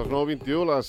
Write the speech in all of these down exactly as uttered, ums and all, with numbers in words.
Les nou vint-i-u, les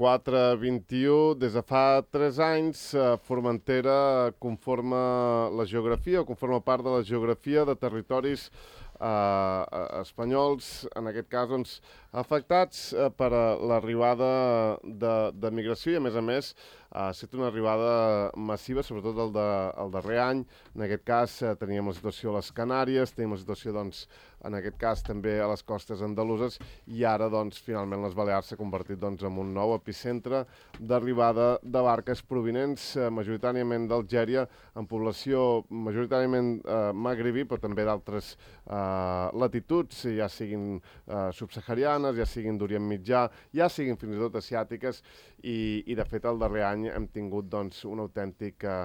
quatre vint-i-u, des de fa tres anys, Formentera conforma la geografia, o conforma part de la geografia de territoris eh, espanyols, en aquest cas, doncs, afectats eh, per l'arribada de, de migració i, a més a més, ha estat una arribada massiva, sobretot el, de, el darrer any. En aquest cas, eh, teníem la situació a les Canàries, teníem la situació, doncs, en aquest cas, també a les costes andaluses, i ara, doncs, finalment les Balears s'ha convertit, doncs, en un nou epicentre d'arribada de barques provinents eh, majoritàriament d'Algèria, en població majoritàriament eh, magribí, però també d'altres eh, latituds, ja siguin eh, subsaharianes, ja siguin d'Orient Mitjà, ja siguin fins i tot asiàtiques, i, i de fet el darrer any hem tingut, doncs, un autèntic eh,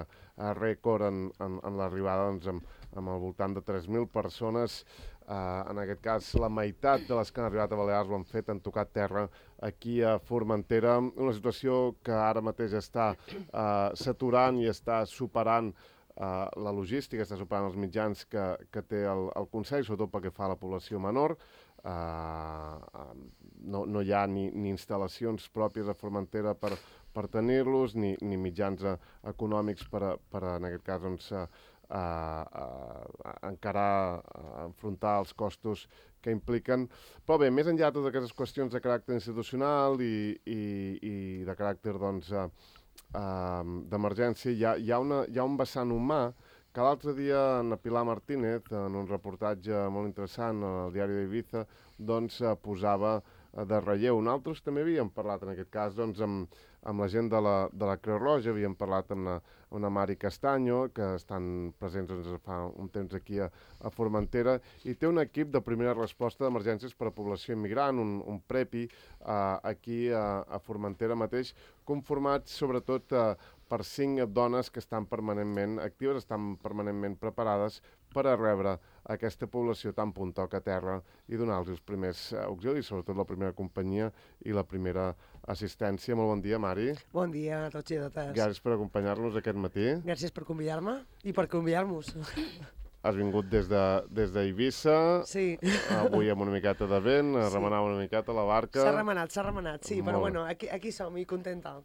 rècord en, en, en l'arribada, doncs, amb, amb al voltant de tres mil persones. Uh, en aquest cas, la meitat de les que han arribat a Balears ho han fet, han tocat terra aquí a Formentera, una situació que ara mateix està uh, saturant i està superant uh, la logística, està superant els mitjans que, que té el, el Consell, sobretot pel que fa a la població menor. Uh, uh, no, no hi ha ni, ni instal·lacions pròpies a Formentera per, per tenir-los, ni, ni mitjans uh, econòmics per, a, per a, en aquest cas, doncs, uh, a, a encarar, a enfrontar els costos que impliquen. Però bé, més enllà de totes aquestes qüestions de caràcter institucional i, i, i de caràcter, doncs, uh, uh, d'emergència, hi ha, hi, ha una, hi ha un vessant humà que l'altre dia en Pilar Martínez, en un reportatge molt interessant al diari d'Ibiza, doncs, uh, posava uh, de relleu. Nosaltres també havíem parlat, en aquest cas, doncs, amb, amb la gent de la, de la Creu Roja, havíem parlat amb la, una Mari Castanyo, que estan presents, doncs, fa un temps aquí a, a Formentera, i té un equip de primera resposta d'emergències per a població immigrant, un, un prepi, uh, aquí a, a Formentera mateix, conformat sobretot uh, per cinc dones que estan permanentment actives, estan permanentment preparades per a rebre aquesta població tan puntoca a terra i donar-los els primers auxilis, sobretot la primera companyia i la primera assistència. Molt bon dia, Mari. Bon dia a tots i a totes. Gràcies per acompanyar-nos aquest matí. Gràcies per convidar-me i per convidar-nos. Has vingut des de, des d'Eivissa, sí. Avui amb una miqueta de vent, a sí. remenar una miqueta la barca. S'ha remenat, s'ha remenat, sí, Molt però bueno, aquí, aquí som i contenta.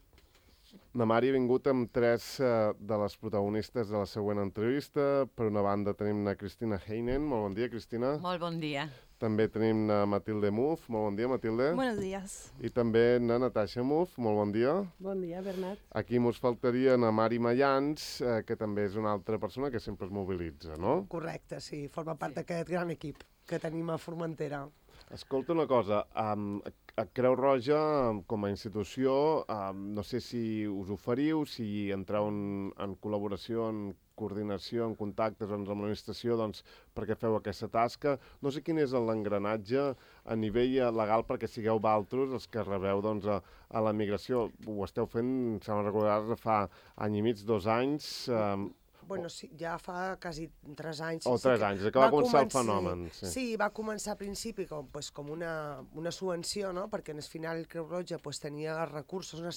La Mari ha vingut amb tres uh, de les protagonistes de la següent entrevista. Per una banda tenim na Cristina Heinen. Molt bon dia, Cristina. Molt bon dia. També tenim na Matilde Muff. Molt bon dia, Matilde. Buenos días. I també na Natasha Muff. Molt bon dia. Bon dia, Bernat. Aquí mos faltaria na Mari Mayans, eh, que també és una altra persona que sempre es mobilitza, no? Correcte, sí. Forma part sí. d'aquest gran equip que tenim a Formentera. Escolta una cosa, um, a Creu Roja, com a institució, um, no sé si us oferiu, si entreu en, en col·laboració, en coordinació, en contactes doncs, amb l'administració, doncs, perquè feu aquesta tasca. No sé quin és l'engranatge a nivell legal perquè sigueu valtros els que rebeu doncs, a, a la migració. Ho esteu fent, sembla recordar, fa any i mig, dos anys... Um, Bueno, sí, ja fa quasi tres anys. O sí, tres sí anys, que va, va començar el començar, fenomen. Sí. sí, va començar a principi com, pues, com una, una subvenció, no? Perquè en el final Creu Roja pues, tenia recursos, una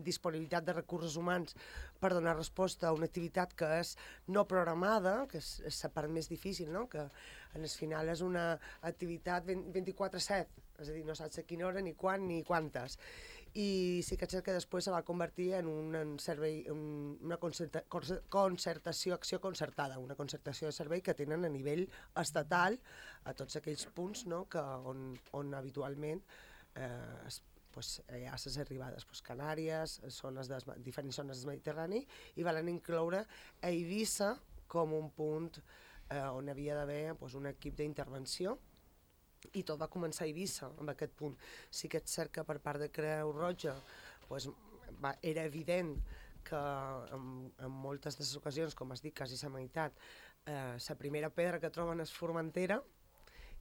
disponibilitat de recursos humans per donar resposta a una activitat que és no programada, que és, és la part més difícil, no? Que en el final és una activitat vint-i-quatre set, és a dir, no saps a quina hora, ni quan, ni quantes. I sí que és cert que després se va convertir en un en servei, un, una concerta, concertació, acció concertada, una concertació de servei que tenen a nivell estatal a tots aquells punts, no, que on, on habitualment eh, es, pues, hi ha les arribades pues, Canàries, zones de, diferents zones del Mediterrani, i van incloure a Eivissa com un punt eh, on havia d'haver pues, un equip d'intervenció. I tot va començar a Eivissa, amb aquest punt. Sí que és cert que per part de Creu Roja pues, va, era evident que en, en moltes de les ocasions, com has dit, quasi la meitat, eh, la primera pedra que troben és Formentera,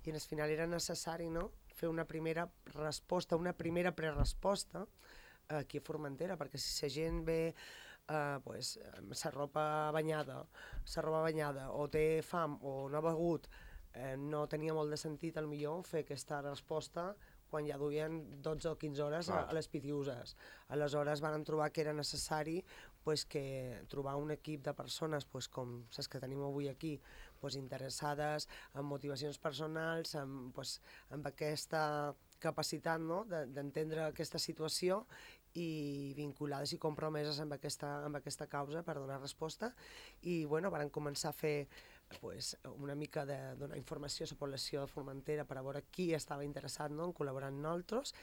i en el final era necessari, no?, fer una primera resposta, una primera preresposta eh, aquí a Formentera, perquè si la gent ve eh, pues, la ropa banyada, la roba banyada, o té fam, o no ha begut, Eh, no tenia molt de sentit, al millor, fer aquesta resposta quan ja duien dotze o quinze hores a, a les pitiuses. Aleshores van trobar que era necessari pues, que trobar un equip de persones pues, com les que tenim avui aquí, pues, interessades en motivacions personals, amb, pues, amb aquesta capacitat, no?, d'entendre aquesta situació i vinculades i compromeses amb aquesta, amb aquesta causa per donar resposta. I bueno, van començar a fer pues, una mica de donar informació a la població de Formentera per a veure qui estava interessat, no?, en col·laborar amb nosaltres.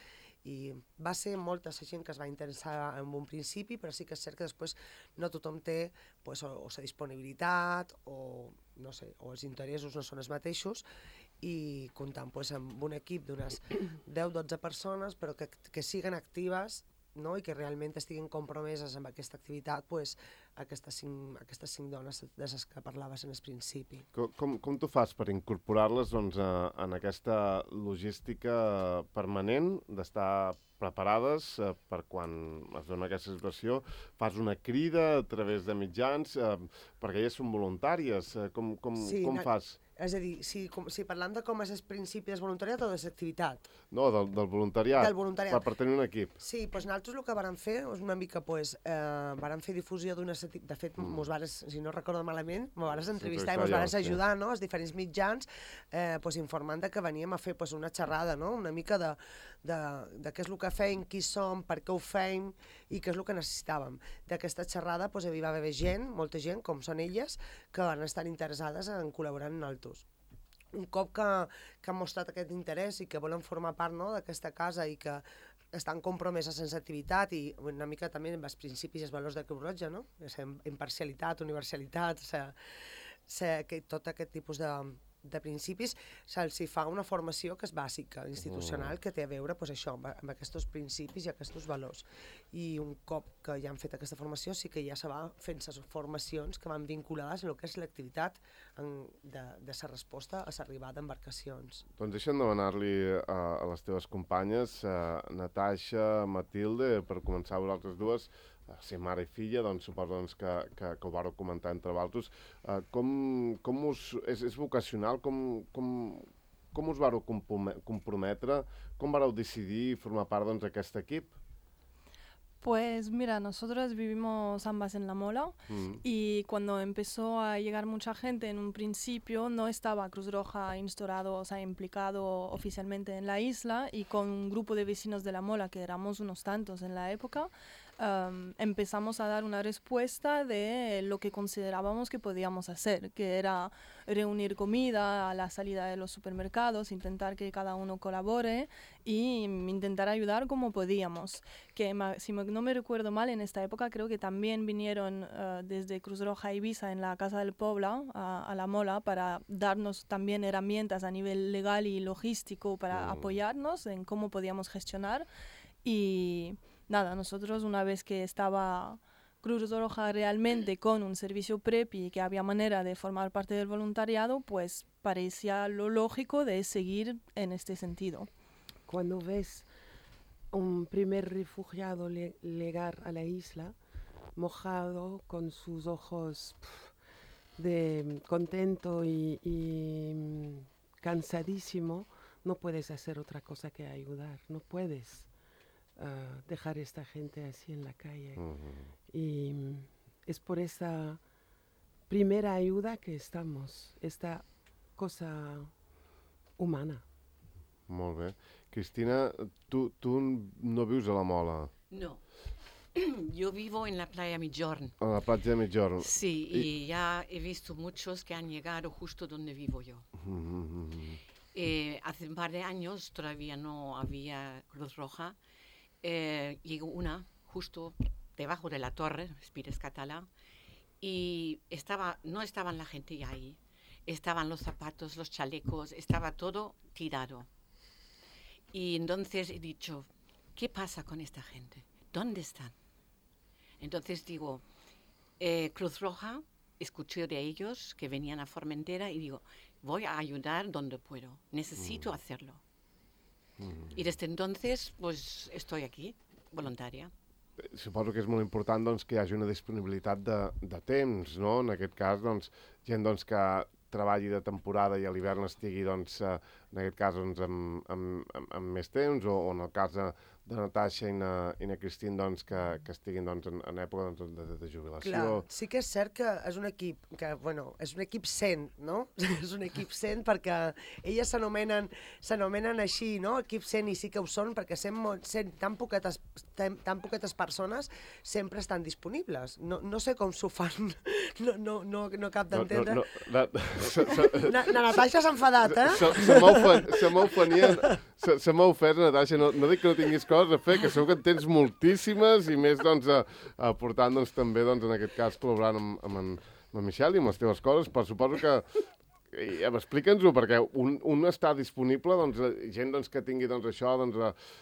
I va ser molta la gent que es va interessar en un principi, però sí que és cert que després no tothom té pues, o, o la disponibilitat o, no sé, o els interessos no són els mateixos, i comptant pues, amb un equip d'unes deu o dotze persones, però que, que siguen actives, no?, i que realment estiguin compromeses amb aquesta activitat, pues, aquestes, cinc, aquestes cinc dones de les que parlaves en el principi. Com, com, com tu fas per incorporar-les doncs, a, en aquesta logística permanent, d'estar preparades eh, per quan es dona aquesta situació? Fas una crida a través de mitjans, eh, perquè elles són voluntàries. Eh, com com, sí, com fas? És a dir, si, com, si parlam de com és el principi del voluntariat o de l'activitat? No, del, del voluntariat, del voluntariat. Per, per tenir un equip. Sí, doncs nosaltres el que vàrem fer és una mica, pues, eh, vàrem fer difusió d'una... De fet, mm. mos vares, si no recordo malament, mos vares entrevistar sí, i mos vares ajudar, sí, no?, als diferents mitjans, eh, pues, informant de que veníem a fer pues, una xerrada, no?, una mica de, de, de què és el que feim, qui som, per què ho feim i què és el que necessitàvem. D'aquesta xerrada pues, hi va haver gent, molta gent, com són elles, que van estar interessades en col·laborar amb nosaltres. Un cop que, que han mostrat aquest interès i que volen formar part, no?, d'aquesta casa i que estan compromeses en l'activitat i una mica també amb els principis i els valors de Creu Roja, no?, imparcialitat, universalitat, o sigui, ser, que tot aquest tipus de, de principis, se'ls fa una formació que és bàsica, institucional, que té a veure pues, això, amb, amb aquests principis i aquests valors. I un cop que ja han fet aquesta formació, sí que ja se va fent les formacions que van vinculades a el que és l'activitat de, de la resposta a l'arribada d'embarcacions. Doncs deixa'm demanar-li a, a les teves companyes, a Natasha, Matilde, per començar a vosaltres dues, ser mare i filla, doncs suposo doncs, que, que, que ho vareu comentar entre vosaltres. Uh, com, com us... És, és vocacional? Com, com, com us vareu comprometre? Com vareu decidir formar part doncs, d'aquest equip? Pues mira, nosotros vivimos ambas en La Mola mm. y cuando empezó a llegar mucha gente en un principio no estaba Cruz Roja instaurado, o sea, implicado oficialmente en la isla, y con un grupo de vecinos de La Mola, que éramos unos tantos en la época, Um, empezamos a dar una respuesta de lo que considerábamos que podíamos hacer, que era reunir comida a la salida de los supermercados, intentar que cada uno colabore y intentar ayudar como podíamos. Que si no me recuerdo mal, en esta época creo que también vinieron uh, desde Cruz Roja Ibiza en la Casa del Pueblo a, a La Mola para darnos también herramientas a nivel legal y logístico para oh. apoyarnos en cómo podíamos gestionar. Y nada, nosotros una vez que estaba Cruz Roja realmente con un servicio prepi y que había manera de formar parte del voluntariado, pues parecía lo lógico de seguir en este sentido. Cuando ves un primer refugiado le- llegar a la isla, mojado, con sus ojos pff, de contento y, y cansadísimo, no puedes hacer otra cosa que ayudar, no puedes. Uh, dejar a esta gente así en la calle. Uh-huh. Y um, es por esa primera ayuda que estamos, esta cosa humana. Molt bé. Cristina, tu, tu no vius a La Mola? No. Yo vivo en la playa Migjorn. A la platja de Migjorn. Sí, y, y ya he visto muchos que han llegado justo donde vivo yo. Uh-huh. eh, hace un par de años todavía no había Cruz Roja. Eh, llegó una justo debajo de la torre, Espires Català, y estaba, no estaban la gente ya ahí, estaban los zapatos, los chalecos, estaba todo tirado. Y entonces he dicho, ¿qué pasa con esta gente? ¿Dónde están? Entonces digo, eh, Cruz Roja, escuché de ellos que venían a Formentera y digo, voy a ayudar donde puedo, necesito mm. hacerlo. Mm. I des d'entonces pues, estoy aquí, voluntaria. Suposo que és molt important doncs, que hi hagi una disponibilitat de, de temps, no? En aquest cas, doncs, gent doncs, que treballi de temporada i a l'hivern estigui doncs, en aquest cas doncs, amb, amb, amb, amb més temps, o, o en el cas de, de Natasha i na, i na Christine doncs, que, que estiguin doncs, en, en època doncs, de, de jubilació. Clar, sí que és cert que és un equip que, bueno, és un equip cent, no? És un equip cent perquè elles s'anomenen s'anomenen així, no? Equip cent, i sí que ho són perquè sent, sent tan, poquetes, tan, tan poquetes persones sempre estan disponibles. No, no sé com s'ho fan, no, no, no, no cap d'entendre. No, no, no, se, se, na, na Natasha s'ha enfadat, eh? Se, se m'ha ofen, se m'ha ofenien, se, se m'ha ofès, Natasha, no, no dic que no tinguis coses a fer, que segur que en tens moltíssimes, i més, doncs, a, a portant, doncs, també, doncs, en aquest cas, col·laborant amb, amb, en, amb en Michel i amb les teves coses, però suposo que I, explica'ns-ho, perquè un, un està disponible, doncs, gent doncs, que tingui doncs, això, doncs,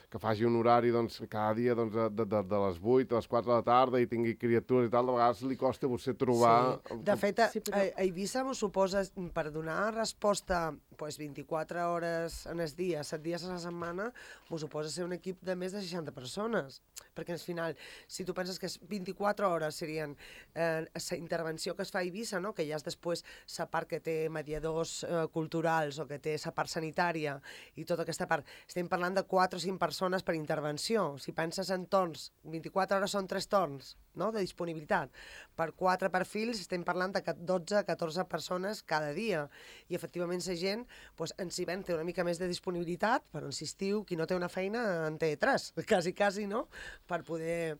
que faci un horari doncs, cada dia doncs, de, de, de les vuit a les quatre de la tarda i tingui criatures i tal, de vegades li costa a vostè trobar... Sí. De fet, a, a, a Eivissa m'ho suposa, per donar resposta pues, vint-i-quatre hores en el dia, set dies a la setmana, m'ho suposa ser un equip de més de seixanta persones. Perquè al final, si tu penses que vint-i-quatre hores serien eh, la intervenció que es fa a Eivissa, no? Que ja és després la part que té mediadors eh, culturals o que té la part sanitària i tota aquesta part. Estem parlant de quatre o cinc persones per intervenció. Si penses en torns, vint-i-quatre hores són tres torns, no? De disponibilitat. Per quatre perfils estem parlant de dotze a catorze persones cada dia. I efectivament la gent pues, en si ven té una mica més de disponibilitat, però insistiu, qui no té una feina en té tres, quasi, quasi, no? Per poder,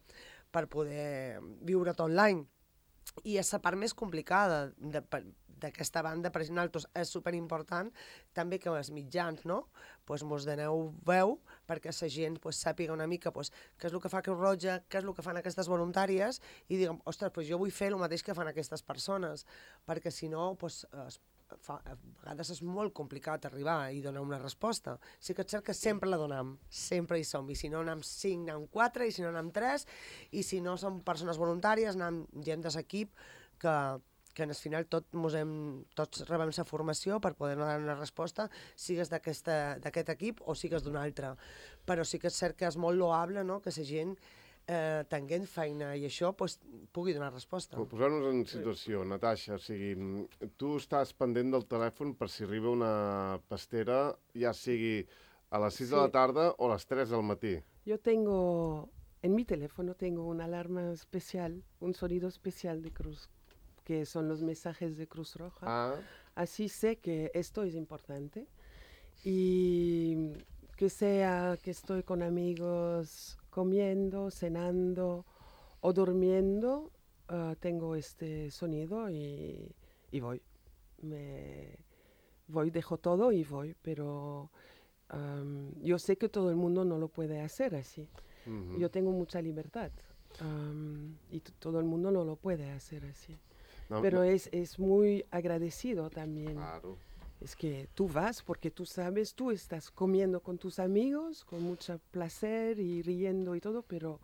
per poder viure tot l'any. I és la part més complicada d'aquesta banda, per nosaltres és superimportant també que els mitjans, no? Pues mos doneu veu perquè la gent pues, sàpiga una mica pues, què és el que fa Creu Roja, què és el que fan aquestes voluntàries i diguem, ostres, pues jo vull fer el mateix que fan aquestes persones, perquè si no, pues, fa, a vegades és molt complicat arribar i donar una resposta. Sí que és cert que sempre la donem, sempre hi som, i si no anem cinc, anem quatre, i si no anem tres, i si no som persones voluntàries, anem gent de l'equip que que en el final tot mos hem, tots rebem la formació per poder donar una resposta, sigues d'aquest equip o sigues d'un altre. Però sí que és cert que és molt loable, no?, que la gent eh, tenint feina i això pues, pugui donar resposta. Posar-nos en situació, Natasha, o sigui, tu estàs pendent del telèfon per si arriba una pastera, ja sigui a les sis sí. de la tarda o a les tres del matí. Jo tengo, en mi teléfono tengo una alarma especial, un sonido especial de Cruz, que son los mensajes de Cruz Roja. Ah. Así sé que esto es importante. Y que sea que estoy con amigos comiendo, cenando o durmiendo, uh, tengo este sonido y, y voy. Me voy, dejo todo y voy, pero um, yo sé que todo el mundo no lo puede hacer así. Uh-huh. Yo tengo mucha libertad um, y t- todo el mundo no lo puede hacer así. No, pero no. Es, es muy agradecido también. Claro. Es que tú vas porque tú sabes, tú estás comiendo con tus amigos con mucho placer y riendo y todo, pero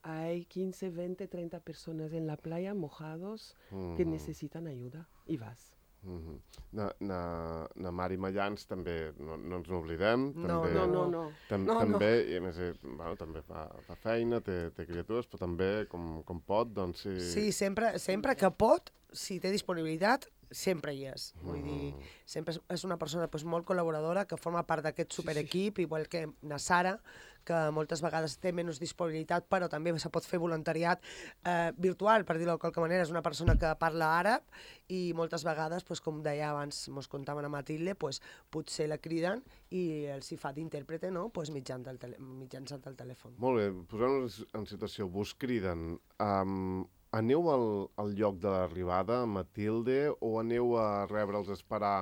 hay quince, veinte, treinta personas en la playa mojados mm. que necesitan ayuda y vas. Mm-hmm. Na, na, na Mari Mallans també, no, no ens n'oblidem. No, també, no, no. no. Tam, no, també, no. I a més, bueno, també fa, fa feina, té, té criatures, però també, com, com pot, doncs sí... Sí, sempre, sempre que pot, si té disponibilitat, sempre hi és. Vull mm. dir, sempre és una persona pues, molt col·laboradora que forma part d'aquest superequip, sí, sí. igual que na Sara, que moltes vegades té menys disponibilitat, però també se pot fer voluntariat eh, virtual, per dir-ho de qualque manera. És una persona que parla àrab i moltes vegades, pues, com deia abans, mos contaven a Matilde, pues, potser la criden i els hi fa d'intèrprete, no? Pues, mitjançant el, tele mitjançant el telèfon. Molt bé, posant-nos en situació, vos criden... Um, aneu al, al lloc de l'arribada, Matilde, o aneu a rebre'ls a esperar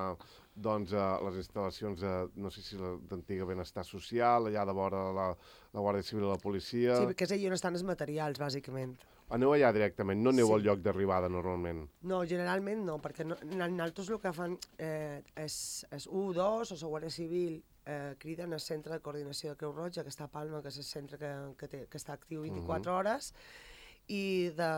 doncs, a les instal·lacions de, no sé si d'antiga benestar social, allà de vora la, la Guàrdia Civil i la policia... Sí, perquè és allà on estan els materials, bàsicament. Aneu allà directament, no aneu sí. al lloc d'arribada normalment? No, generalment no, perquè no, nosaltres el que fan eh, és, és u dos o la Guàrdia Civil eh, criden al centre de coordinació de Creu Roja, que està a Palma, que és el centre que, que, té, que està actiu vint-i-quatre uh-huh. hores, i de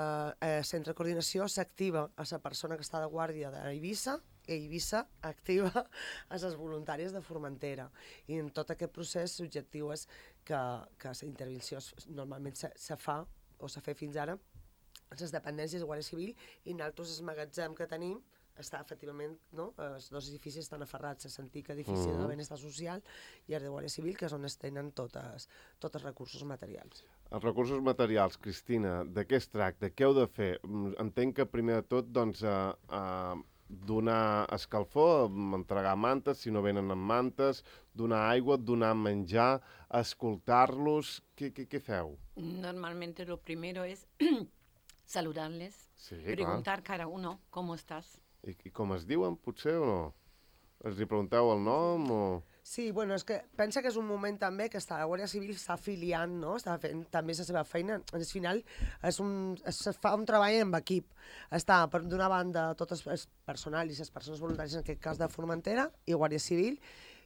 eh, centre de coordinació s'activa a la persona que està de guàrdia d'Eivissa, i Eivissa activa a les voluntàries de Formentera. I en tot aquest procés l'objectiu és que, que la intervenció normalment se, se fa, o s'ha fet fins ara, a les dependències de Guàrdia Civil, i nosaltres el magatzem que tenim està efectivament, no? Els dos edificis estan aferrats a l'antic edifici mm. de benestar social i el de Guàrdia Civil, que és on es tenen totes, tots els recursos materials. Els recursos materials, Cristina, de què es tracta? Què heu de fer? Entenc que primer de tot, doncs, a, a donar escalfor, entregar mantes, si no venen amb mantes, donar aigua, donar menjar, escoltar-los... Què, què, què feu? Normalmente lo primero es saludarles, sí, preguntar clar. cada uno cómo estás. I, I com es diuen, potser, o no? Els hi pregunteu el nom o...? Sí, bueno, és que pensa que és un moment també que està, la Guàrdia Civil està afiliant, no? Està fent també la seva feina. Al final és un, es fa un treball en equip. Està, per d'una banda, tot el personal i les persones voluntàries, en aquest cas de Formentera, i Guàrdia Civil,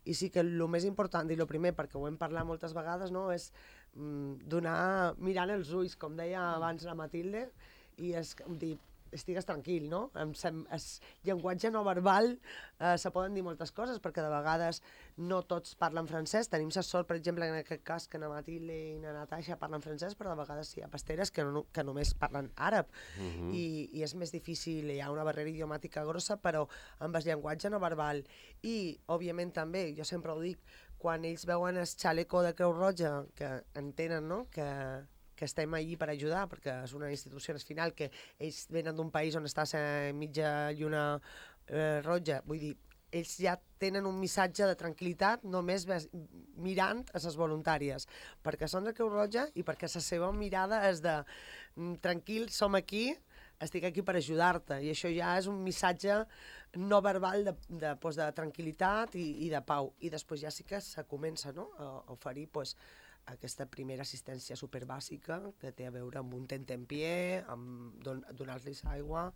i sí que el més important, i el primer, perquè ho hem parlat moltes vegades, no? És mm, donar, mirant els ulls, com deia abans la Matilde, i és dir, estigues tranquil, no? El llenguatge no verbal eh, se poden dir moltes coses, perquè de vegades no tots parlen francès. Tenim la sort, per exemple, en aquest cas, que na Matilde i na Natasha parlen francès, però de vegades hi ha pasteres que, no, que només parlen àrab. Uh-huh. I, I és més difícil, hi ha una barrera idiomàtica grossa, però amb el llenguatge no verbal. I, òbviament, també, jo sempre ho dic, quan ells veuen el xaleco de Creu Roja, que entenen, no?, que que estem allí per ajudar, perquè és una institució al final que ells venen d'un país on està la mitja lluna eh, roja, vull dir, ells ja tenen un missatge de tranquil·litat només mirant a les voluntàries, perquè són de Creu Roja i perquè la seva mirada és de tranquil, som aquí, estic aquí per ajudar-te, i això ja és un missatge no verbal de, de, pues, de tranquil·litat i, i de pau, i després ja sí que se comença, no?, a oferir pues, aquesta primera assistència superbàsica que té a veure amb un tentempié, amb don donar-los aigua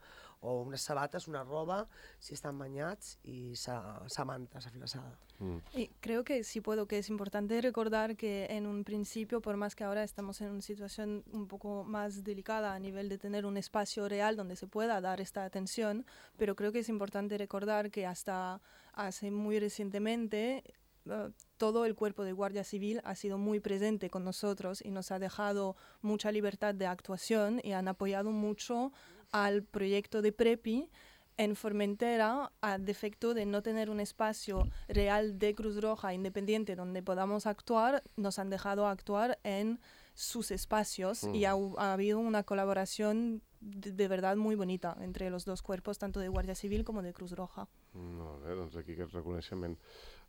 o unes sabates, una roba, si estan banyats, y sa, sa manta, sa flasada. Mm. Y creo que sí puedo, que es importante recordar que en un principio, por más que ahora estamos en una situación un poco más delicada a nivel de tener un espacio real donde se pueda dar esta atención, pero creo que es importante recordar que hasta hace muy recientemente Uh, todo el cuerpo de Guardia Civil ha sido muy presente con nosotros y nos ha dejado mucha libertad de actuación y han apoyado mucho al proyecto de PREPI en Formentera, a defecto de no tener un espacio real de Cruz Roja independiente donde podamos actuar, nos han dejado actuar en sus espacios mm. y ha, ha habido una colaboración de, de verdad muy bonita entre los dos cuerpos, tanto de Guardia Civil como de Cruz Roja. Molt bé, doncs aquí aquest reconeixement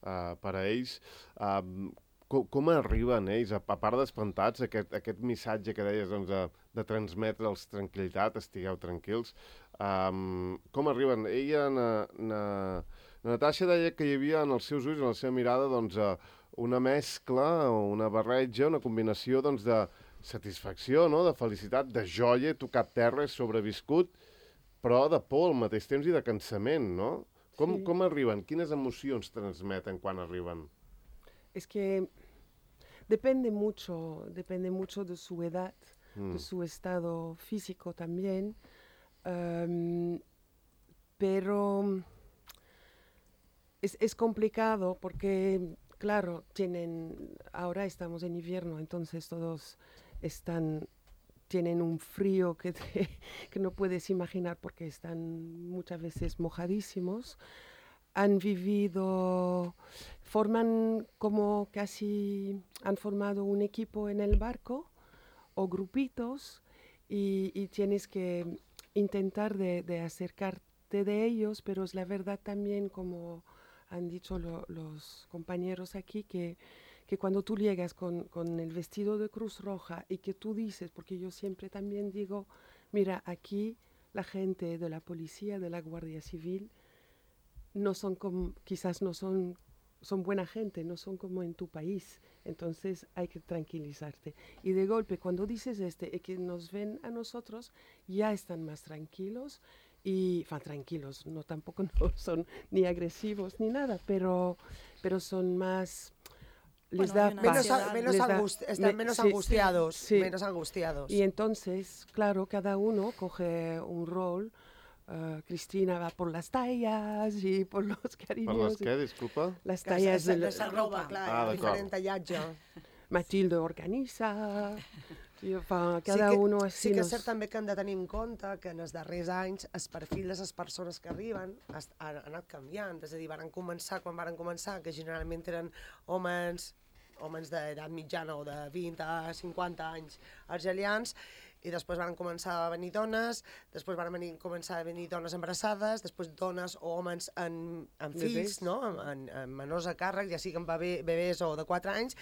uh, per a ells. Uh, com, com arriben ells, a, a part d'espantats, aquest, aquest missatge que deies doncs, de, de transmetre'ls tranquil·litat, estigueu tranquils, um, com arriben? Ella, na, na, na Natasha deia que hi havia en els seus ulls, en la seva mirada, doncs, uh, una mescla, una barreja, una combinació doncs, de satisfacció, no?, de felicitat, de joia, tocat terra, sobreviscut, però de por al mateix temps i de cansament, no? Com, sí. com arriben? Quines emocions transmeten quan arriben? Es que depende mucho, depende mucho de su edad, mm. de su estado físico también, um, pero es, es complicado porque, claro, tienen, ahora estamos en invierno, entonces todos están, tienen un frío que, te, que no puedes imaginar porque están muchas veces mojadísimos. Han vivido, forman como casi, han formado un equipo en el barco o grupitos y, y tienes que intentar de, de acercarte de ellos, pero es la verdad también, como han dicho lo, los compañeros aquí, que, que cuando tú llegas con, con el vestido de Cruz Roja y que tú dices, porque yo siempre también digo, mira, aquí la gente de la policía, de la Guardia Civil, no son como, quizás no son, son buena gente, no son como en tu país, entonces hay que tranquilizarte. Y de golpe, cuando dices este, que nos ven a nosotros, ya están más tranquilos, y, enfin, tranquilos, no tampoco no son ni agresivos ni nada, pero, pero son más... Les bueno, da menos, a, menos, les angust da, están me, menos sí, angustiados, sí. menos angustiados. Y entonces, claro, cada uno coge un rol. Uh, Cristina va por las tallas y por los cariños. ¿Por las qué, disculpa? Las tallas de la ropa, clar, ah, diferent tallatge. Matilde organiza, Jo fa cada sí que, uno així. Sí que nos... és cert també que hem de tenir en compte que en els darrers anys el perfil de les persones que arriben ha, ha anat canviant. És a dir, van començar, quan van començar, que generalment eren homes, homes d'edat mitjana o de vint a cinquanta anys argelians, i després van començar a venir dones, després van venir, començar a venir dones embarassades, després dones o homes en, en fills, no? en, en, en menors a càrrec, ja siguin bebè, bebès o de quatre anys.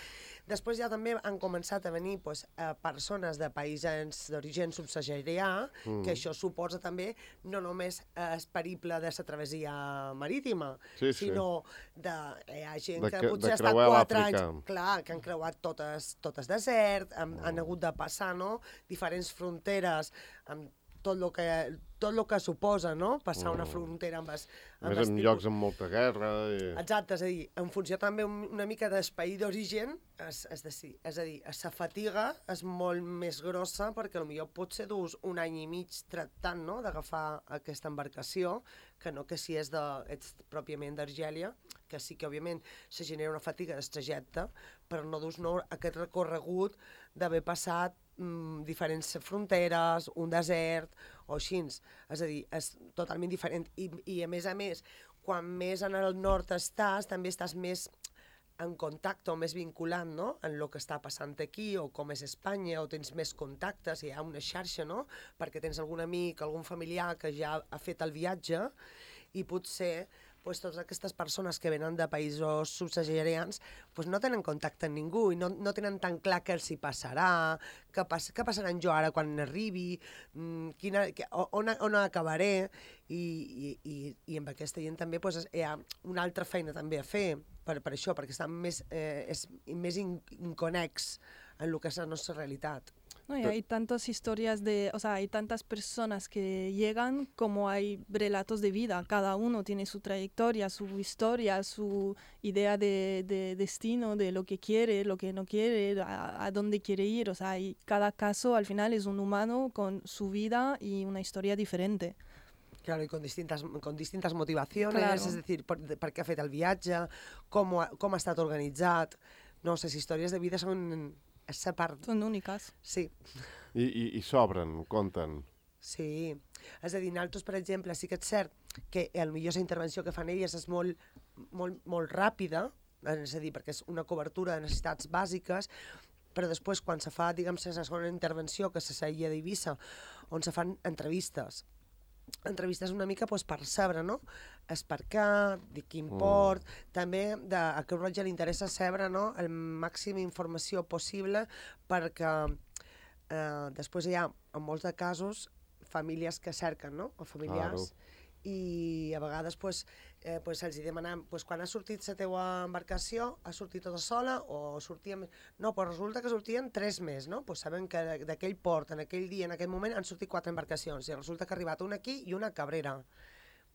Després ja també han començat a venir pues, eh, persones de països d'origen subsaharià, mm. que això suposa també no només eh, el periple de la travessia marítima, sí, sinó sí. de hi ha gent de que, que potser ha de estat quatre anys, l'Àfrica. clar, que han creuat totes, totes desert, han, oh. han hagut de passar, no?, diferents fronteres amb tot el que, tot lo que suposa, no?, passar una frontera amb es, amb més en llocs amb molta guerra. I... Exacte, és a dir, en funció també una mica del país d'origen, és, és, de, és a dir, la fatiga és molt més grossa perquè potser potser dus un any i mig tractant, no?, d'agafar aquesta embarcació, que no que si és de, ets pròpiament d'Argèlia, que sí que òbviament se genera una fatiga del trajecte, però no dus no, aquest recorregut d'haver passat mm, diferents fronteres, un desert o així. És a dir, és totalment diferent. I, i a més a més, quan més en el nord estàs, també estàs més en contacte o més vinculant, no?, en el que està passant aquí o com és Espanya, o tens més contactes, hi ha una xarxa, no?, perquè tens algun amic, algun familiar que ja ha fet el viatge i potser pues, totes aquestes persones que venen de països subsaharians pues, no tenen contacte amb ningú i no, no tenen tan clar què els hi passarà, què, pas, què passarà amb jo ara quan arribi, quina, on, on acabaré, i, i, i, i amb aquesta gent també pues, hi ha una altra feina també a fer per, per això, perquè estan més, eh, és, més inconex en el que és la nostra realitat. No, y hay tantas historias de, o sea, hay tantas personas que llegan como hay relatos de vida. Cada uno tiene su trayectoria, su historia, su idea de, de destino, de lo que quiere, lo que no quiere, a, a dónde quiere ir. O sea, y cada caso al final es un humano con su vida y una historia diferente. Claro, y con distintas, con distintas motivaciones, Claro. és a dir, per, per què ha fet el viatge, com, ha, com ha estat organitzat. No, les històries de vida són... Esa part... Són úniques. Sí. I, i, i s'obren, compten. Sí. És a dir, nosaltres, per exemple, sí que és cert que potser la intervenció que fan elles és molt, molt, molt ràpida, és a dir, perquè és una cobertura de necessitats bàsiques, però després, quan se fa, diguem, la segona intervenció, que se seia d'Eivissa, on se fan entrevistes, entrevistes una mica pues, per saber, no?, és per què, de quin port, mm. també de, a Creu Roja li interessa saber, no?, el màxim informació possible perquè eh, després hi ha, en molts de casos, famílies que cerquen, no?, o familiars, claro. I a vegades pues, eh, pues els demanem pues, quan ha sortit la teua embarcació, ha sortit tota sola o sortíem... No, pues resulta que sortien tres més, no? Pues sabem que d'aquell port, en aquell dia, en aquell moment, han sortit quatre embarcacions i resulta que ha arribat una aquí i una a Cabrera.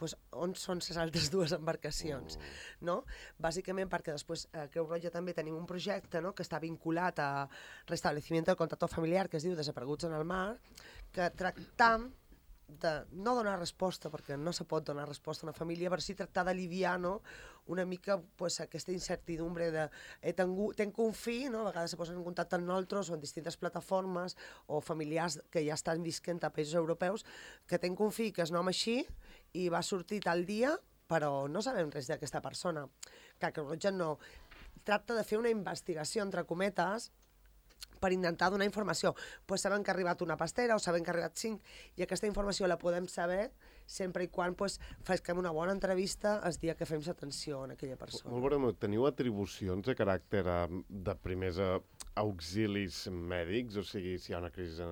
Pues, on són les altres dues embarcacions? Mm. No? Bàsicament perquè després a Creu Roja també tenim un projecte, no?, que està vinculat a restableciment del contacte familiar, que es diu Desapareguts en el mar, que tractam de no donar resposta, perquè no se pot donar resposta a una família, però sí tractar d'aliviar, no?, una mica pues, aquesta incertidumbre de he tengut, tenc un fill, no?, a vegades se posen en contacte amb nosaltres o en distintes plataformes o familiars que ja estan visquent a països europeus, que tenc un fill que és nom així i va sortir tal dia, però no sabem res d'aquesta persona. Que Creu Roja no tracta de fer una investigació, entre cometes, per intentar donar informació. Pues sabem que ha arribat una pastera o sabem que ha arribat cinc i aquesta informació la podem saber sempre i quan pues, fem una bona entrevista el dia que fem l'atenció a aquella persona. Molt bé, teniu atribucions de caràcter de primers auxilis mèdics? O sigui, si hi ha una crisi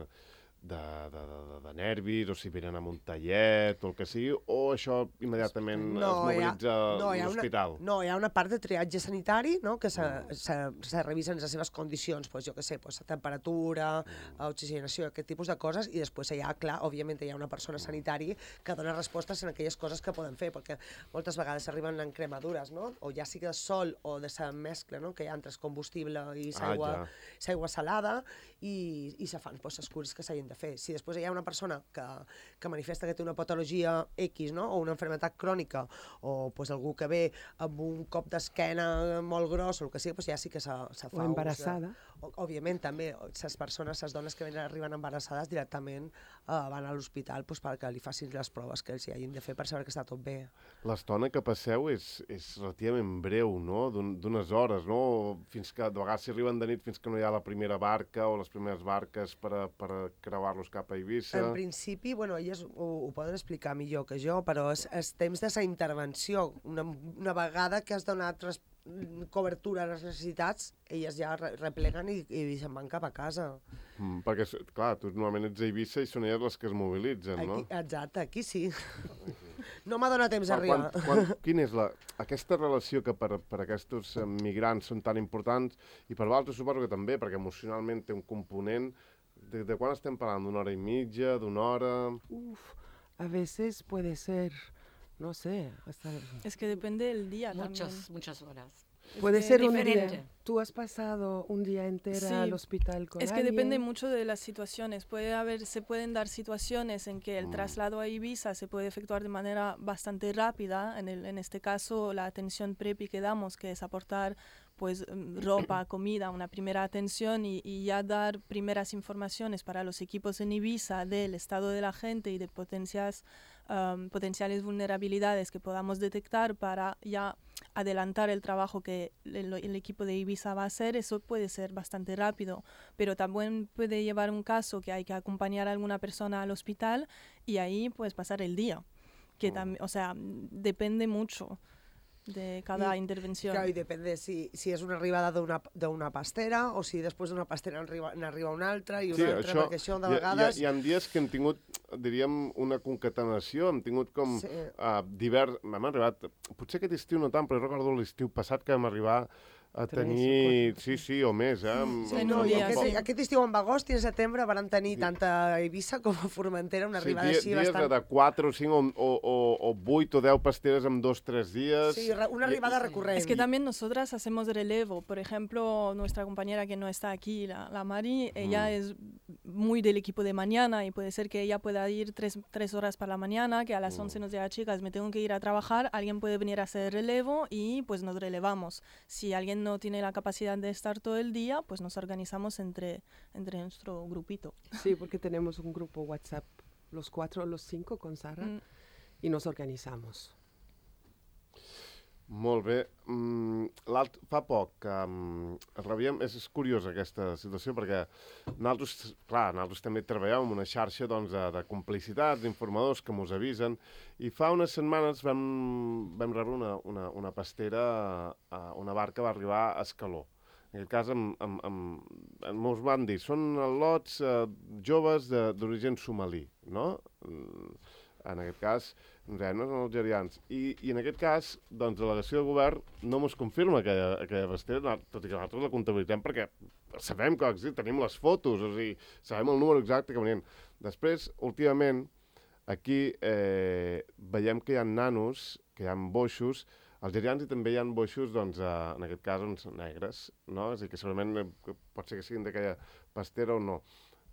de, de, de, de nervis o si venen amb un tallet o el que sigui, o això immediatament no, es mobilitza a no, l'hospital? No, hi ha una part de triatge sanitari, no?, que se, mm. se, se revisen les seves condicions, pues, jo què sé, pues, temperatura, mm. oxigenació, aquest tipus de coses, i després hi ha, clar, òbviament hi ha una persona sanitari que dona respostes en aquelles coses que poden fer, perquè moltes vegades arriben en cremadures, no?, o ja sigui de sol o de la mescla, no?, que hi ha entre combustible i l'aigua ah, ja. salada, i, i se fan pues, les cures que s'hagin de fer. Si després hi ha una persona que, que manifesta que té una patologia X, no?, o una malaltia crònica, o pues, algú que ve amb un cop d'esquena molt gros, o el que sigui, pues, ja sí que se, se fa... O embarassada. De, òbviament també les persones, les dones que venen, arriben embarassades directament eh, van a l'hospital pues, perquè li facin les proves que els hi hagin de fer per saber que està tot bé. L'estona que passeu és, és relativament breu, no? D'unes hores, no? Fins que de vegades s'hi arriben de nit fins que no hi ha la primera barca o les primeres barques per, a, per a creuar-los cap a Eivissa. En principi, bueno, elles ho, ho poden explicar millor que jo, però és, és temps de la intervenció. Una, una vegada que has donat res, cobertura a les necessitats, elles ja re, repleguen i, i se'n van cap a casa. Mm, perquè, clar, tu normalment ets a Eivissa i són elles les que es mobilitzen, aquí, no? Exacte, aquí sí. No m'ha donat temps a arribar. Quan, quan, quina és la, aquesta relació que per, per aquests migrants són tan importants i per altres suposo que també, perquè emocionalment té un component. De, de quan estem parlant? D'una hora i mitja, d'una hora? Uf, a veces puede ser... No sé, hasta... Es que depende del día Muchas, también. muchas horas. Puede Es ser un diferente. día. ¿Tú has pasado un día entero Sí, al hospital con Es que alguien? depende mucho de las situaciones. Puede haber, se pueden dar situaciones en que el traslado a Ibiza se puede efectuar de manera bastante rápida. En, el, en este caso, la atención prepi que damos, que es aportar pues ropa, comida, una primera atención y, y ya dar primeras informaciones para los equipos en Ibiza del estado de la gente y de potencias, um, potenciales vulnerabilidades que podamos detectar para ya adelantar el trabajo que el, el equipo de Ibiza va a hacer. Eso puede ser bastante rápido, pero también puede llevar un caso que hay que acompañar a alguna persona al hospital y ahí pues pasar el día, que también, o sea, depende mucho de cada I, intervenció. Clar, i depèn de si, si és una arribada d'una pastera o si després d'una pastera n'arriba una altra i una Sí, altra, això, perquè això de hi, vegades... Hi, hi ha dies que hem tingut, diríem, una concatenació, hem tingut com Sí. uh, divers... M'hem arribat, potser aquest estiu no tant, però jo recordo l'estiu passat que vam arribar a Tres o tenir... quatre. Sí, sí, o més, eh? Amb, Sí, amb- No, i dia, aquest, sí. aquest estiu en agost i en setembre van tenir tant a Eivissa com a Formentera una Sí, arribada dia, així dies bastant... de quatre o cinc o, o, o, o vuit o deu pasteres en dos o tres dies. Sí, re- una arribada recurrent. Es que también nosotras hacemos relevo. Por ejemplo, nuestra compañera que no está aquí, la, la Mari, ella Mm. es muy del equipo de mañana y puede ser que ella pueda ir tres, tres horas para la mañana, que a las once nos diga, chicas, me tengo que ir a trabajar, alguien puede venir a hacer relevo y pues nos relevamos. Si alguien no tiene la capacidad de estar todo el día, pues nos organizamos entre, entre nuestro grupito. Sí, porque tenemos un grupo WhatsApp, los cuatro o los cinco con Sara, Mm. y nos organizamos. Molt bé. Mm, l'alt, fa poc que um, rebíem... És, és curiosa aquesta situació perquè nosaltres, clar, nosaltres també treballem en una xarxa doncs, de, de complicitats, d'informadors que mos avisen i fa unes setmanes vam, vam rebre una, una, una pastera, uh, una barca va arribar a Escaló. En aquest cas, amb, amb, amb, amb, mos van dir, són lots uh, joves d'origen somalí, no? Mm, en aquest cas, ens deien, no són algerians. I, I en aquest cas, doncs, la delegació de govern no mos confirma aquella, aquella pastera, tot i que nosaltres la comptabilitzem perquè sabem que existe, tenim les fotos, o sigui, sabem el número exacte que venien. Després, últimament, aquí eh, veiem que hi ha nanos, que hi ha boixos, algerians i també hi ha boixos, doncs, eh, en aquest cas, doncs, negres, no? És a dir, que segurament eh, pot ser que siguin d'aquella pastera o no.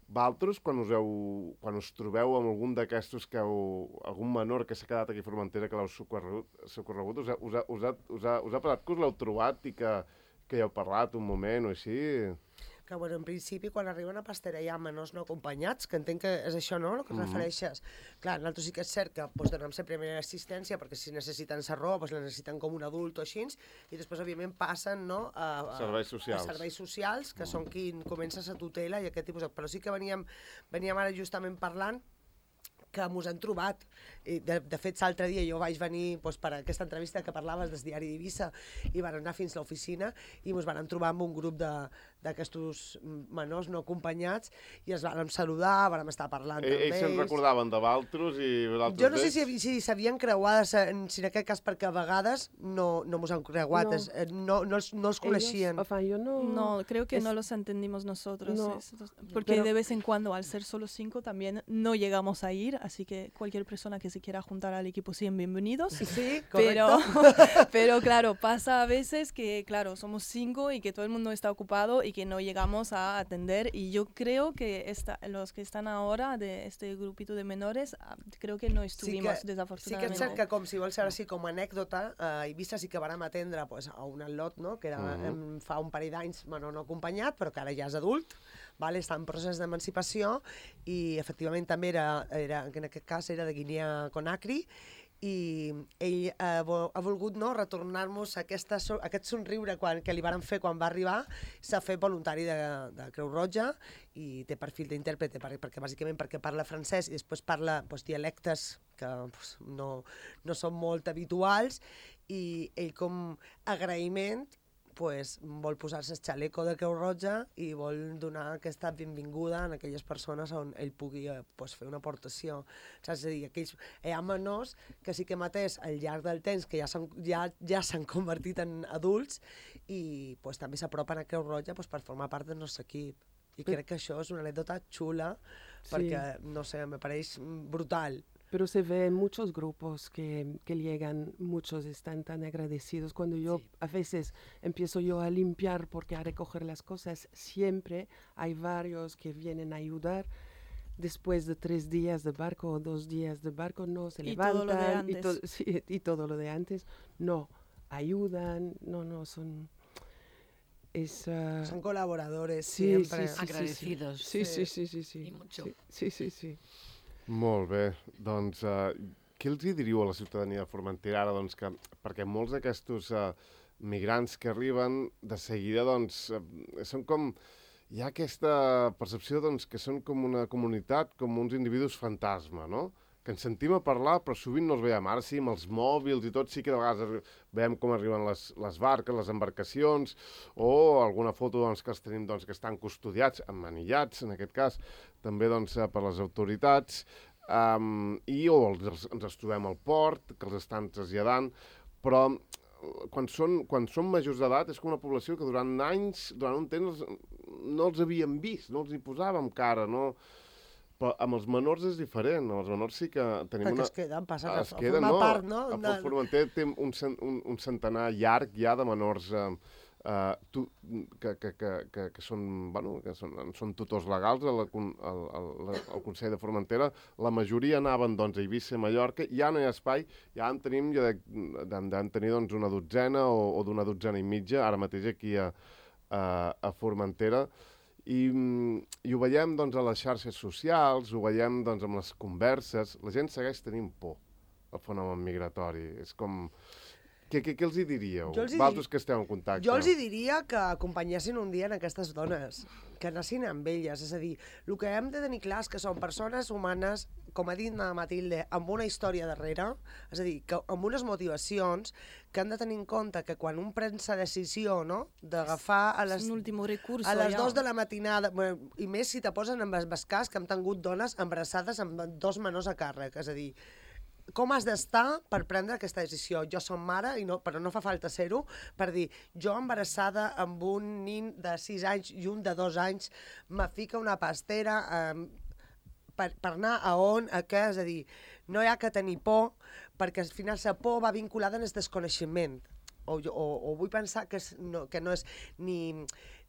Valtros, quan us, heu, quan us trobeu amb algun d'aquestos que heu, algun menor que s'ha quedat aquí a Formentera que l'heu socorregut, socorregut us, ha, us, ha, us, ha, us, ha, us ha passat que us l'heu trobat i que, que hi heu parlat un moment o així? Que, bueno, en principi, quan arriba una pastera hi ha menors no acompanyats, que entenc que és això, no?, el que mm -hmm. refereixes. Clar, nosaltres sí que és cert que doncs, donem la primera assistència, perquè si necessiten la roba, doncs la necessiten com un adult o així, i després, òbviament, passen, no?, a, a serveis socials. A serveis socials, que mm. són qui comença la tutela i aquest tipus de... Però sí que veníem, veníem ara justament parlant que mos han trobat. I de, de fet, l'altre dia jo vaig venir doncs, per aquesta entrevista que parlaves del diari d'Eivissa i van anar fins a l'oficina i mos van trobar amb un grup d'aquests menors no acompanyats i ens vam saludar, vam estar parlant E amb ells. ells se'n recordaven de Valtros i d'altres Jo no sé si, si s'havien creuat, si en aquest cas, perquè a vegades no, no mos han creuat, No. es, no, no, els, no els coneixien. Ellos, o sea, yo no... No, creo que es- no los entendimos nosotros. No, es- porque pero- de vez en cuando, al ser solo cinco, también no llegamos a ir. Así que cualquier persona que se quiera juntar al equipo, sean bienvenidos. Sí, Pero, correcto. pero claro, pasa a veces que, claro, somos cinco y que todo el mundo está ocupado y y que no llegamos a atender. Y yo creo que esta, los que están ahora de este grupito de menores, creo que no estuvimos, sí que, desafortunadamente. Sí que és cert que, com si vols saber així com a anècdota, a Eivissa sí que vàrem atendre pues, a un al·lot, no? que era, uh -huh. em, fa un parell d'anys, bueno, no acompanyat, però que ara ja és adult, vale? Està en procés d'emancipació i efectivament també era, era, en aquest cas era de Guinea Conakry, i ell ha, ha volgut no, retornar-nos aquesta, aquest somriure quan, que li varen fer quan va arribar. S'ha fet voluntari de, de Creu Roja i té perfil d'intèrprete perquè, perquè bàsicament perquè parla francès i després parla pues, dialectes que pues, no, no són molt habituals, i ell com agraïment pues, vol posar-se el xaleco de Creu Roja i vol donar aquesta benvinguda a aquelles persones on ell pugui pues, fer una aportació. Saps? És a dir, aquells, hi ha menors que sí que mateix al llarg del temps que ja s'han ja, ja s'han convertit en adults i pues, també s'apropen a Creu Roja pues, per formar part del nostre equip. I crec que això és una anècdota xula perquè, sí. no sé, me pareix brutal. Pero se ve en muchos grupos que, que llegan, muchos están tan agradecidos. Cuando yo sí. a veces empiezo yo a limpiar porque a recoger las cosas, siempre hay varios que vienen a ayudar. Después de tres días de barco o dos días de barco, no, se y levantan. Todo lo de antes. Y, to sí, y todo lo de antes. No, ayudan, no, no, son... Es, uh... Son colaboradores sí, siempre. Sí, sí, agradecidos. Sí, sí, sí, sí, sí. Y mucho. Sí, sí, sí. sí. Molt bé, doncs uh, què els hi diríeu a la ciutadania de Formentera ara? Doncs que, perquè molts d'aquests uh, migrants que arriben de seguida doncs, uh, són com... Hi ha aquesta percepció doncs, que són com una comunitat, com uns individus fantasma, no? Que ens sentim a parlar, però sovint no els veiem. Ara sí, amb els mòbils i tot, sí que de vegades veiem com arriben les, les barques, les embarcacions, o alguna foto doncs, que els tenim doncs, que estan custodiats, emmanillats, en aquest cas, també doncs, per les autoritats, um, i o els, ens els trobem al port, que els estan traslladant, però quan són, quan són majors d'edat és com una població que durant anys, durant un temps, no els havíem vist, no els hi posàvem cara, no... Però amb els menors és diferent, amb els menors sí que tenim Perquè una... es queden, passa que es queden, formar no, part, no? A de... Formentera té un, un, un centenar llarg ja de menors eh, eh, tu, que, que, que, que, que són, bueno, que són, són tutors legals al, al, al, al Consell de Formentera. La majoria anaven doncs, a Eivissa i Mallorca, ja no hi ha espai, ja en tenim, ja en tenir doncs, una dotzena o, o d'una dotzena i mitja, ara mateix aquí a, a, a Formentera. I, i ho veiem doncs, a les xarxes socials, ho veiem doncs, amb les converses. La gent segueix tenint por al fenomen migratori. És com... Què, què, què els hi diríeu? Els hi Vosaltres dir... que esteu en contacte. Jo els hi diria que acompanyessin un dia en aquestes dones, que anessin amb elles. És a dir, el que hem de tenir clar és que són persones humanes, com ha dit la Matilde, amb una història darrere, és a dir, que amb unes motivacions que han de tenir en compte que quan un pren la decisió no, d'agafar a les, recurso, a les ja. dos de la matinada, bueno, i més si te posen en el cas que hem tingut dones embarassades amb dos menors a càrrec, és a dir, com has d'estar per prendre aquesta decisió? Jo som mare, i no, però no fa falta ser-ho, per dir, jo embarassada amb un nin de sis anys i un de dos anys, me fica una pastera eh, per, per anar a on, a què, és a dir, no hi ha que tenir por, perquè al final la por va vinculada en el desconeixement. O, o, o vull pensar que, és, no, que no és ni,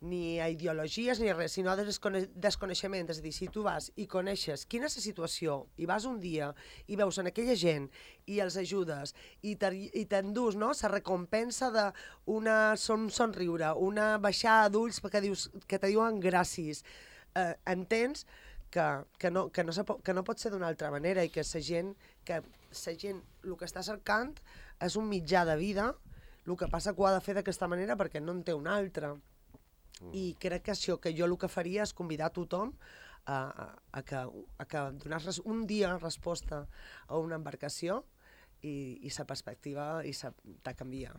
ni a ideologies ni res, sinó de descone desconeixement. És a dir, si tu vas i coneixes quina és la situació i vas un dia i veus en aquella gent i els ajudes i t'endús no, la recompensa d'un son, somriure, una baixada d'ulls que, dius, que te diuen gràcies, eh, entens que, que, no, que, no se pot, que no pot ser d'una altra manera i que la gent, que la gent el que està cercant és un mitjà de vida. El que passa que ho ha de fer d'aquesta manera perquè no en té una altra. Mm. I crec que això que jo el que faria és convidar a tothom a, a, a que, a que donar un dia resposta a una embarcació i, i sa perspectiva i sa, te canvia.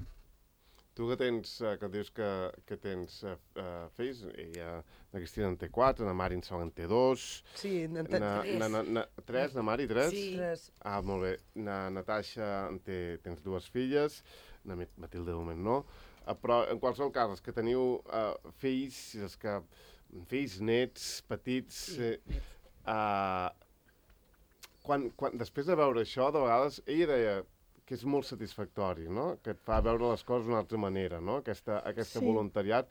Tu que tens, que dius que, que tens uh, fills, ella, la Cristina en té quatre, na Mari en segon en té dos... Sí, en té na, tres. Na, na, na, tres, na Mari, tres? Sí. Tres. Ah, molt bé. Na Natasha en té, tens dues filles, na Matilde de moment no, uh, però en qualsevol cas, els que teniu uh, fills, els que, fills, nets, petits... Sí, eh, uh, quan, quan, després de veure això, de vegades, ella deia que és molt satisfactori, no? Que et fa veure les coses d'una altra manera, no? Aquesta, aquesta sí. voluntariat.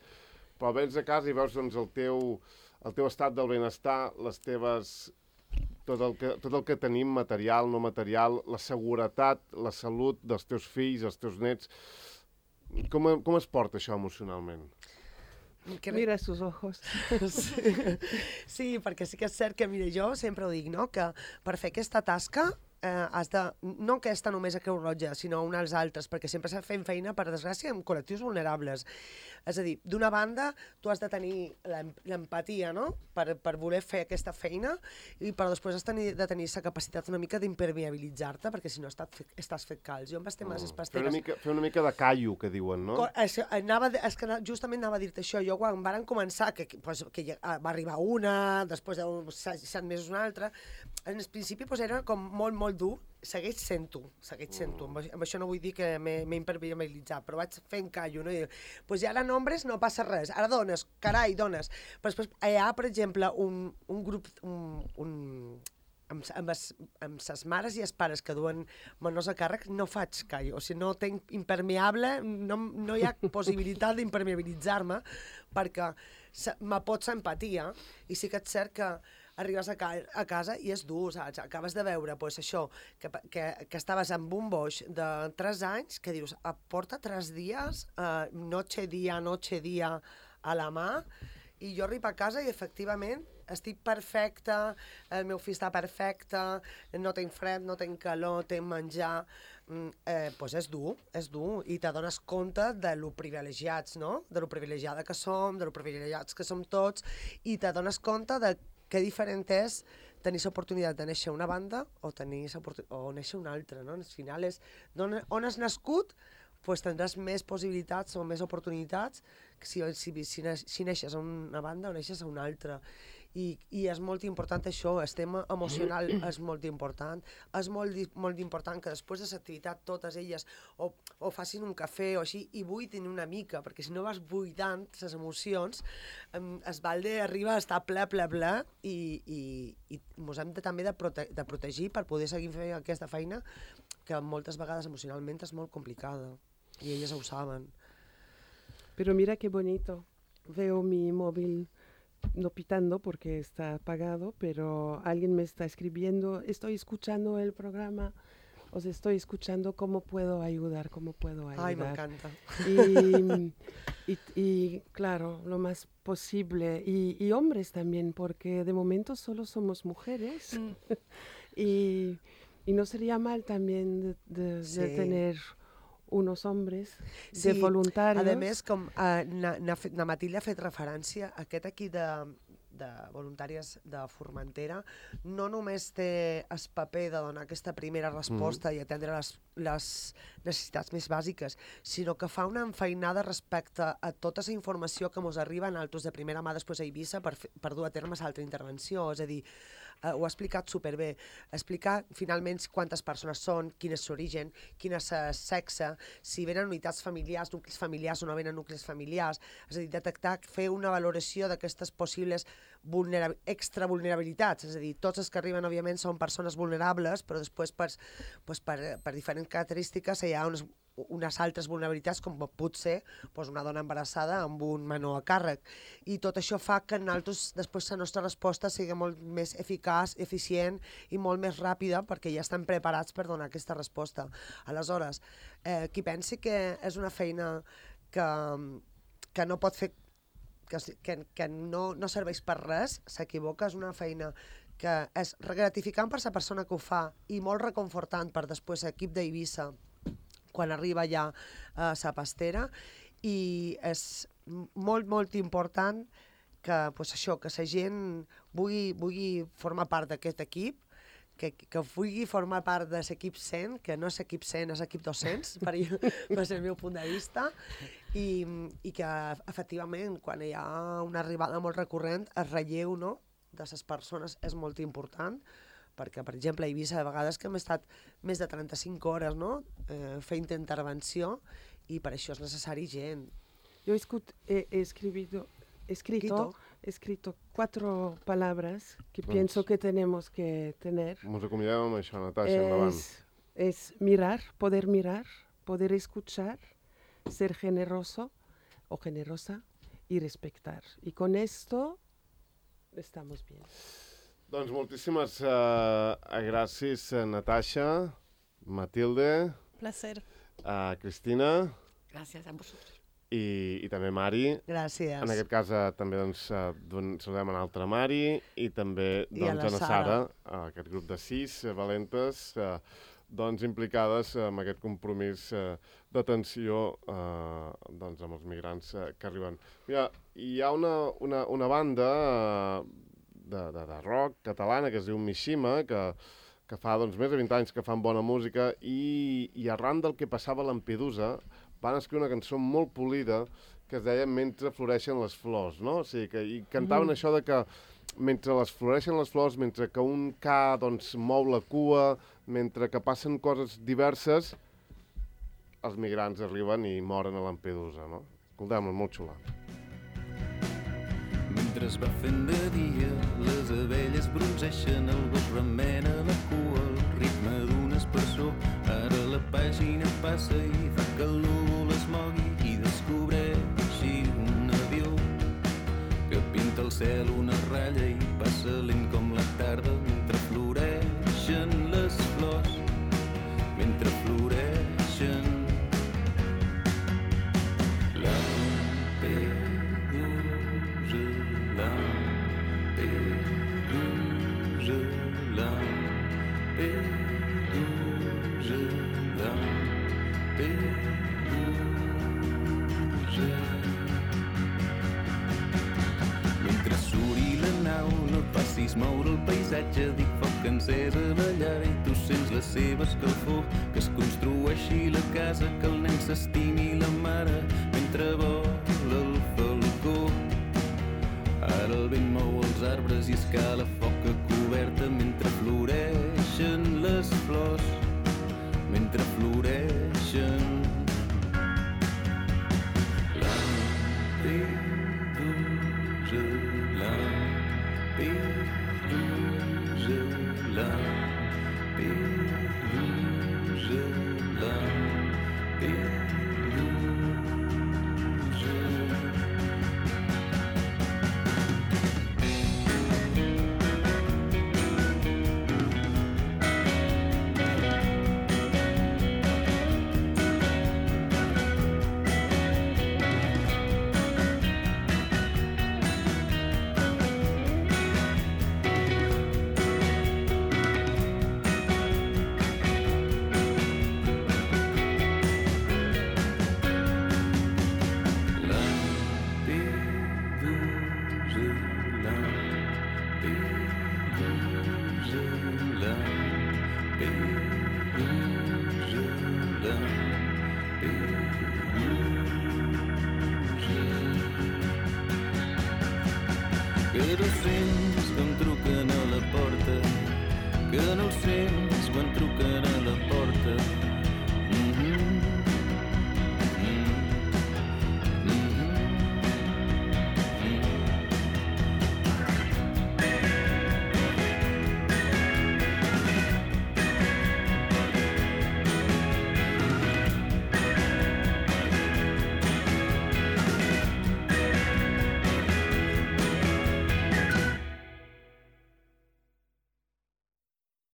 però vens a casa i veus doncs, el, teu, el teu estat del benestar, les teves... Tot el, que, tot el que tenim, material, no material, la seguretat, la salut dels teus fills, els teus nets... Com, com es porta això emocionalment? Que mira sus ojos. Sí. Sí, perquè sí que és cert que, mira, jo sempre ho dic, no?, que per fer aquesta tasca eh, has de, no aquesta només a Creu Roja, sinó uns altres, perquè sempre s'ha fet feina, per desgràcia, amb col·lectius vulnerables. És a dir, d'una banda, tu has de tenir l'empatia, no?, per, per voler fer aquesta feina, i però després has tenir, de tenir la capacitat una mica d'impermeabilitzar-te, perquè si no estàs, estàs fet calç. Jo amb les temes Mm. pasteres... Fer una, mica, fer una mica de callo, que diuen, no? Co- Això, anava, de- és que ana- justament anava a dir-te això. Jo quan varen començar, que, que, pues, que ja, va arribar una, després de set mesos una altra, en el principi pues, era com molt, molt dur. Segueix sent-ho, segueix sent-ho. Amb, això- amb això no vull dir que m'he m'he impermeabilitzat, però vaig fent callo, no? I, pues ja ara nombres no passa res, ara dones, carai, dones. Però després hi ha, per exemple, un, un grup, un, un, amb, amb, es, amb ses mares i els pares que duen menors a càrrec, no faig callo. O sigui, no tenc impermeable, no, no hi ha possibilitat d'impermeabilitzar-me, perquè se- me pot ser empatia, i sí que és cert que arribes a, ca a casa i és dur, saps? Acabes de veure, pues, això, que, que, que estaves amb un boix de tres anys, que dius, "Ah, porta tres dies, eh, noche, dia, noche, dia, a la mà", i jo arribo a casa i, efectivament, estic perfecta, el meu fill està perfecte, no tinc fred, no tinc calor, tinc menjar... Mm, eh, pues és dur, és dur, i t'adones compte de lo privilegiats, no?, de lo privilegiada que som, de lo privilegiats que som tots, i t'adones compte de que diferent és tenir l'oportunitat de néixer una banda o tenir o néixer una altra, no? Al final és on, on has nascut, pues tindràs més possibilitats o més oportunitats que si, si, si, si neixes a una banda o neixes a una altra. I, i és molt important això, el tema emocional és molt important, és molt, molt important que després de l'activitat totes elles o, o facin un cafè o així i buidin una mica, perquè si no vas buidant les emocions, um, es balde arriba a estar ple, ple, ple, i, i, i ens hem de, també de, prote de protegir per poder seguir fent aquesta feina que moltes vegades emocionalment és molt complicada i elles ho saben. Pero mira qué bonito, veo mi móvil no pitando porque está apagado, pero alguien me está escribiendo, estoy escuchando el programa, os estoy escuchando, ¿cómo puedo ayudar? ¿Cómo puedo ayudar? Ay, me encanta. Y, y, y claro, lo más posible, y, y hombres también, porque de momento solo somos mujeres, Mm. y, y no sería mal también de, de, Sí. de tener unos hombres Sí, de voluntarios. A més, com eh, na, na, na Matilde ha fet referència, aquest equip de, de voluntàries de Formentera no només té el paper de donar aquesta primera resposta mm. i atendre les, les necessitats més bàsiques, sinó que fa una enfeinada respecte a tota la informació que ens arriba en altres de primera mà després a Eivissa per, fer, per dur a terme l'altra intervenció. És a dir, Uh, ho ha explicat superbé. Explicar finalment quantes persones són, quin és l'origen, quin és el sexe, si venen unitats familiars, nuclis familiars o no venen nuclis familiars. És a dir, detectar, fer una valoració d'aquestes possibles vulnera- extra vulnerabilitats. És a dir, tots els que arriben, òbviament, són persones vulnerables, però després per, pues, per, per diferents característiques hi ha unes unes altres vulnerabilitats, com pot ser doncs una dona embarassada amb un menor a càrrec. I tot això fa que nosaltres, després la nostra resposta sigui molt més eficaç, eficient i molt més ràpida, perquè ja estem preparats per donar aquesta resposta. Aleshores, eh, qui pensi que és una feina que, que no pot fer, que, que, que no, no serveix per res, s'equivoca. És una feina que és gratificant per la persona que ho fa i molt reconfortant per després l'equip d'Eivissa quan arriba ja a la pastera, i és molt, molt important que, pues això, que la gent vulgui, vulgui formar part d'aquest equip, que, que vulgui formar part de l'equip cent, que no és equip cent, és equip dos-cents, per, per el meu punt de vista, i, i que efectivament, quan hi ha una arribada molt recurrent, el relleu, no?, de les persones és molt important, perquè, per exemple, a Eivissa, a vegades que hem estat més de trenta-cinc hores, no?, eh, fent intervenció, i per això és necessari gent. Yo escut, he, he escribido, escrito, escrito cuatro palabras que Vamos. pienso que tenemos que tener. Ens acomiadem amb això, Natasha, endavant. Es, es mirar, poder mirar, poder escuchar, ser generoso o generosa y respetar. Y con esto estamos bien. Doncs moltíssimes uh, gràcies, Natasha, Matilde, Placer. uh, Cristina. Gràcies a vosaltres. I, i també Mari. Gràcies. En aquest cas uh, també doncs, uh, saludem a l'altra Mari i també doncs, I a la a la Sara, Sara, uh, aquest grup de sis uh, valentes uh, doncs, implicades uh, en aquest compromís uh, d'atenció uh, doncs, amb els migrants uh, que arriben. Mira, hi ha una, una, una banda uh, de, de, de rock catalana que es diu Mishima, que, que fa doncs, més de vint anys que fan bona música i, i arran del que passava a Lampedusa van escriure una cançó molt polida que es deia Mentre floreixen les flors, no? O sigui, que, i cantaven mm. això de que mentre les floreixen les flors, mentre que un ca doncs, mou la cua, mentre que passen coses diverses, els migrants arriben i moren a Lampedusa, no? Escoltem-la, molt xula. Mentre es va fent de dia, les abelles bronzeixen, el gos remena la cua, el ritme d'un espersor. Ara la pàgina passa i fa que el núvol es mogui i descobreixi un avió que pinta al cel una ratlla i passa lent com la tarda mentre floreixen les flors, mentre floreixen. Moure el paisatge, dic foc encès a la llar i tu sents la seva escalfor, que es construeixi la casa, que el nen s'estimi la mare mentre vola el falcó. Ara el vent mou els arbres i escala foc a coberta mentre floreixen les flors, mentre floreixen. Lampedusa, Lampedusa, que no sents quan truquen a la porta, que no el sents quan truquen